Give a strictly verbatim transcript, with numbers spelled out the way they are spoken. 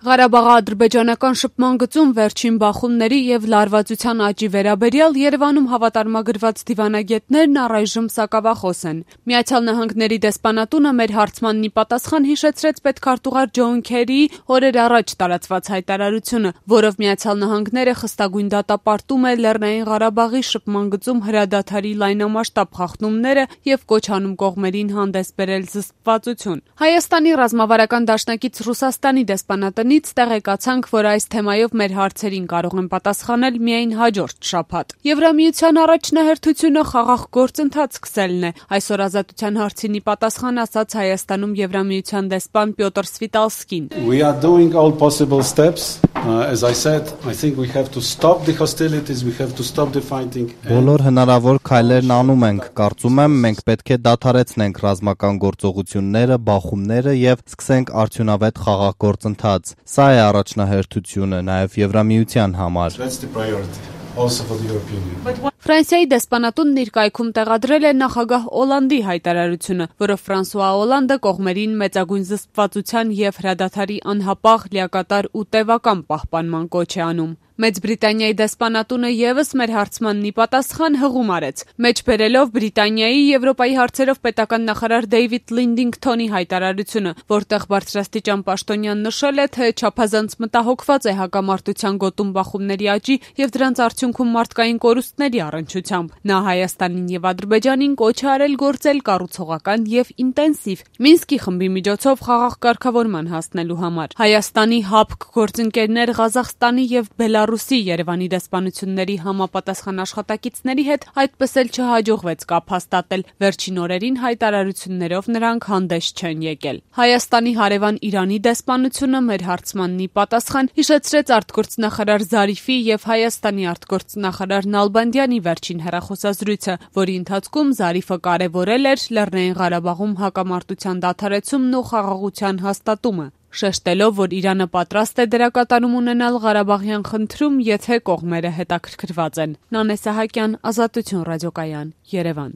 Ղարաբաղի-ադրբեջանական շփման գծում վերջին բախումների եւ լարվածության աճի վերաբերյալ Երևանում հավատարմագրված դիվանագետներն առայժմ սակավախոս են։ Միացյալ Նահանգների դեսպանատունը մեր հարցմանն ի պատասխան հիշեցրեց պետքարտուղար Ջոն Քերիի օրեր առաջ տարածված հայտարարությունը, որով Միացյալ Նահանգները խստագույն դատապարտում է Լեռնային Ղարաբաղի շփման գծում հրադադարի լայնամասշտաբ խախտումները եւ կոչ անում կողմերին հանդես բերել զսպվածություն։ Հայաստանի ռազմավարական դաշնակից Ռուսաստանի դեսպանատը տեղեկացանք, որ այս թեմայով մեր հարցերին կարող են պատասխանել միայն հաջորդ շաբաթ։ Եվրամիության առաջնահերթությունը խաղաղ գործընթաց սկսելն է։ Այսօր Ազատության հարցին ի պատասխան ասաց Հայաստանում Եվրամիության դեսպան Պյոտր Սվիտալսկին. We are doing all possible steps. Uh, as I said, I think we have to stop the hostilities, we have to stop the fighting. Բոլոր հնարավոր քայլերն անում ենք։ Կարծում եմ, մենք պետք է դադարեցնենք ռազմական գործողությունները, բախումները եւ սկսենք արդյունավետ խաղաղ գործընթաց։ Սա է առաջնահերթությունը նաև Եվրամիության համար։ Ֆրանսիայի դեսպանատունն իր կայքում տեղադրել է նախագահ Օլանդի հայտարարությունը, որով Ֆրանսուଆ Օլանդը կողմերին մեծագույն զսպվածության եւ հրադադարի անհապաղ, լիակատար ու տևական պահպանման կոչ է անում։ Մեծ Բրիտանիայի դեսպանատունը եւս մեր հարցմանն ի պատասխան հղում արեց, մեջ բերելով Բրիտանիայի Եվրոպայի հարցերով պետական նախարար Դեյվիդ Լինդինգթոնի հայտարարությունը, որտեղ բարձրաստիճան պաշտոնյան նշել է, թե չափազանց մտահոգված է հակամարտության գոտում բախումների աճի եւ դրանց արդյունքում մարդկային կորուստների առնչությամբ։ Նա Հայաստանին եւ Ադրբեջանին կոչ է արել գործել կառուցողական եւ ինտենսիվ Մինսկի խմբի միջոցով խաղաղ կարգավորման հասնելու համար։ Հայաստանի ՀԱՊԿ գործընկերներ Ղազախստանի եւ Բելարուսի Երևանի դեսպանությունների համապատասխան աշխատակիցների հետ այդպես էլ չհաջողվեց կապ հաստատել։ Վերջին օրերին հայտարարություններով նրանք հանդես չեն եկել։ Հայաստանի հարևան Իրանի դեսպանությունը մեր հարցմանն ի պատասխան հիշեցրեց արտգործնախարար Զարիֆի եւ Հայաստանի արտգործնախարար Նալբանդյանի վերջին հեռախոսազրույցը, որի ընթացքում Զարիֆը կարևորել էր Լեռնային Ղարաբաղում հակամարտության դադարեցումն ու խաղաղության հաստատումը, շեշտելով, որ Իրանը պատրաստ է դերակատարում ունենալ Ղարաբաղյան խնդրում, եթե կողմերը հետաքրքրված են։ Նանե Սահակյան, Ազատություն ռադիոկայան, Երևան։